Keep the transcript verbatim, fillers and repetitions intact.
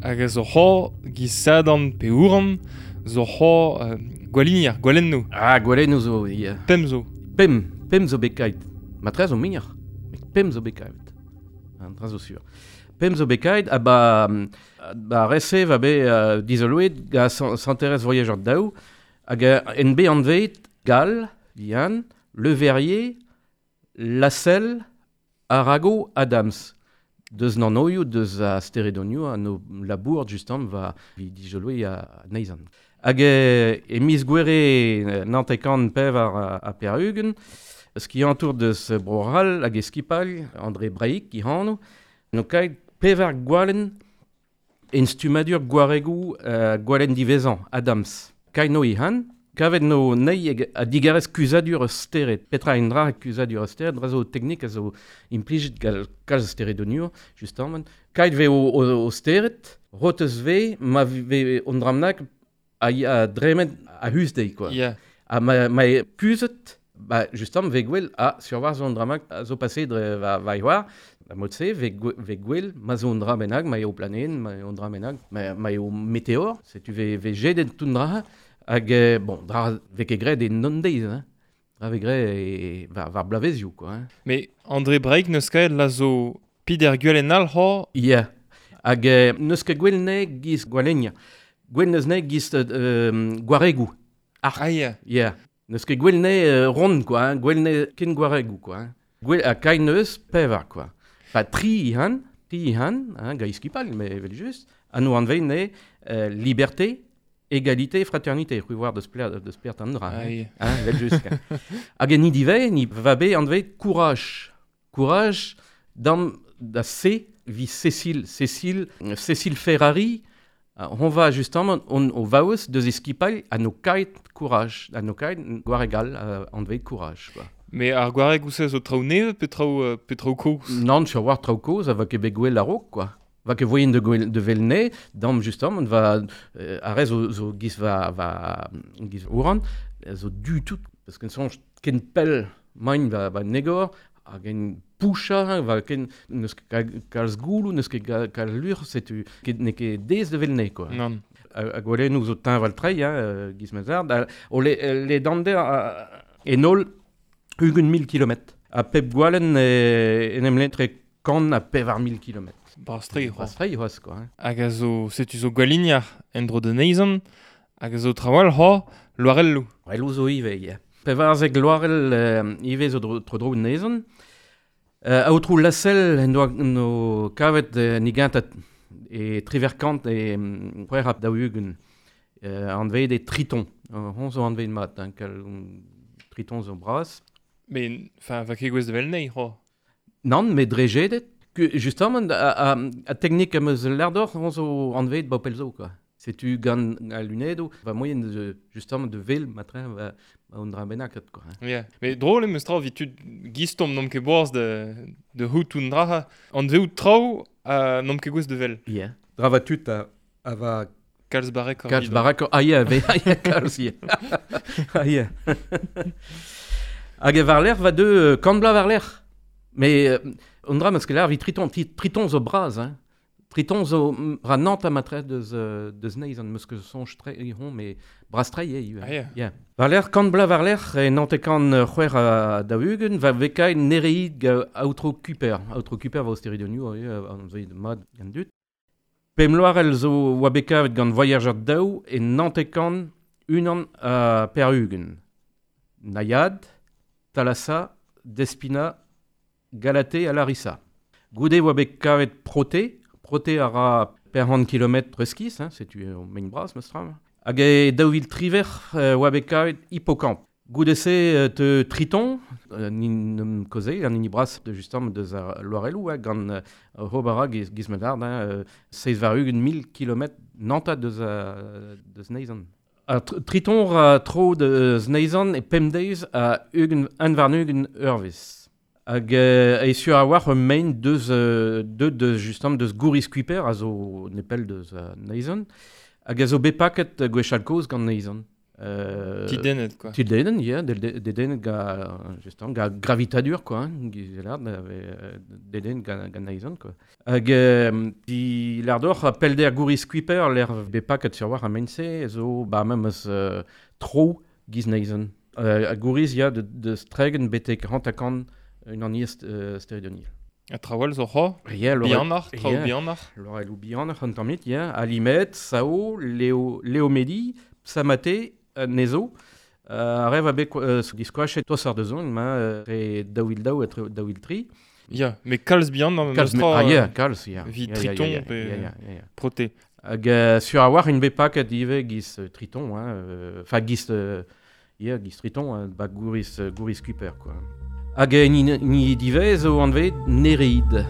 Hag a zo c'ho giz sadan pe ouran, zo c'ho euh, gwalinier, gwalenno. Ah, gwalenno zo, ya. Pem zo. Pem, pem zo bekait. Matre zo mignor, met pem zo bekait. An dra zo sur. Pem zo bekait, a ba, ba rese va be uh, dizoloet ga santerez voyageur daou, hag en be anvet Gall, Vian, Le Verrier, Lassell, Arago, Adams. Deus nanoioù, deus a steredonioù, a no labour justement va vi dijoloe a neizan. Hag e, e miz gwere nantekan pevar a, a perugen, skiantour deus Broral hag e skipal, André Braik ki hano, no kaet pevar gwalen en stumadur gwaregou uh, gwalen divezan, Adams. Kaet no ihan, kavet no nei a digarez kuzadur stered. Petra en dra kuzadur stered, dra zo teknik a zo implijet gal kalz steredoniour, justement. Kaet ve o, o, o stered, rotez ve, ma ve on dramnak a, a dremet a hus dei, quoi. Yeah. A ma, ma e kuzet, ba, justement, ve gwell a survar zo an dramak a zo passé dre va, va ioar, la motse, ve, ve gwell, ma zo an dra bennak, ma eo planen, ma eo an dra bennak, ma, ma eo meteor, setu ve, ve jedet tout dra, hag, bon, dra ve ket graet e non deiz, hein. Dra ve graet e var, var blavezioù, quoi. Hein. Mais André Braik neus ket la zo pider gwell en al ho? Yeah. Hag neus ket gwell ne giz gwalenia. Gwell neus ne giz euh, gwaregou. Ar. Ah, yeah. Yeah. Neus ket gwell ne euh, rond, quoi, hein. Gwell ne ken gwaregou, quoi. Hein. Gwell a kai neus pevar, quoi. Pa tri ihan, tri ihan, hein, ga iskipal, mais evel just, a no anvein ne euh, liberté, égalité, fraternité, c'hwi war deus pler, deus pler an dra. Hein, hein, vel just. Hag en idive, ni va be anve courage. Courage dam da C vi Cécile, Cécile, Cécile Ferrari, on va justement on o vaus deus eskipal a no kait courage, a no kait gwaregal anve courage, quoi. Mais ar gwareg ousez zo traoù neve pe traoù pe traoù koz? Non, sur war traoù koz, a va ket bet gwell a-raok, quoi. Va ket voyen de gwell de velne, dam justement, on va euh, arrez zo, zo giz va va giz ouran, zo du tout, parce qu'en sonj ken pell main va va negor, hag en poucha, va ken neus ket kalz goulou, neus ket kalz lur, setu ket ne ket dez de velne, quoi. Non. Hag gwelennoù zo teñval trei, hein, giz mazard, o le, le dander en ol ugent mil kilometr. A pep gwalen en em lentre kant a pevar mil kilometr. Brastre, Brastre, c'hoaz, quoi. Hein. Hag a zo, setu zo gwaliniar en dro de neizan, hag a zo trawal ho loarelloù. Loarelloù zo ivez, ya. Pevarzek loarell euh, ivez zo dro, tro dro neizan. Euh, aotrou Lassell en doa no kavet euh, nigantat e triverkant e c'hwec'h ap daou-ugent euh, anvet e Triton. Euh, hon zo anvet mat, hein, kal, Triton zo bras. Mais, enfin, va ket gwez de vel nei, ho? Nann, mais dre jedet. Justement, a, a, a teknik am eus l'ardor, hon zo anvet ba pelzo, quoi. Setu gant a lunedo, va moyen de, justement, de vel, matre, va, va on dra bennaket, quoi. Hein. Yeah. Mais drôle em eus traoù vit tud gistom n'om ket boaz de, de hout un dra, anveout traoù a n'om ket gwez de vel. Yeah. Dra va tud a, a va... Kalz barek. Kalz barek, ah yeah, ve, ah yeah, kalz, yeah. Ah yeah. Hag e varler va de kant bla varler. Mais euh, on dra meus ket lar vi Triton, Triton zo braz, hein. Triton zo ra nant a matre deus, deus neiz an meus ket sonj tre hon, mais braz tre eo. Ah, yeah. Yeah. Varler, kant bla varler, e nante kant c'hwec'h a daou-ugent, va vekai nereid ga aotrou Kuiper. Aotrou Kuiper va osteridonioù, an zo mad gant dut. Pem loarel zo oa bekavet gant Voyageur daou e nante kant unan a per-ugent. Naiad, Thalassa, Despina, Galatée a Larissa. Goude oa bet kavet Proté, Proté a ra per hant kilometr reskis, hein, setu o mein bras, meus tra. Hag e daou vil triver oa bet kavet Hippocampe. Goude se te Triton, euh, nin um koze, an hini bras de justement deus ar loarelloù, hein, gant euh, hobara giz, giz medard, hein, euh, seiz war ugent mil kilometr nanta deus, uh, deus neizan. A tr Triton ra tro deus neizan e pemdeiz a ugent un war ugent eurvez. Hag euh, e sur a war ur main deus, euh, deus, deus justement deus gouriz Kuiper a zo nepell deus uh, neizan. Hag a zo bet paket gwechall kozh gant neizan. Euh, Tidennet, quoi. Tidennet, ya, dedennet ga, justement, ga gravitadur, quoi, hein, gizelard, dedennet ga, ga naizon, quoi. Hag, euh, di lardor, pelder gouriz Kuiper, l'er bepaket sur war a mense, zo, ba, memes euh, tro giz naizon. Euh, a gouriz, ya, de, de stregen betek rantakan un an iest euh, steridonil. A trawal zo c'ho? Ya, Bihanoc'h, traoù bihanoc'h. Lorelou bihanoc'h an tammit, ya. Alimet, Sao, Léo, Léomédi, Psamate, Nezo. Uh, a rev a bet uh, diskoachet tos ar deuzon, ma re daou il daou et daou il tri. Ya, mais kalz bihan, kalz me, ah ya, kalz, ya. Vi ya, triton ya, ya, pe ya, ya, ya. Proté. Hag uh, sur a war un bet paket ivez giz uh, triton, hein, enfin euh, giz, euh, ya, giz triton, hein, ba gouriz, gouriz Kuiper, quoi. Hag ni, ni divez zo anvet Nereid.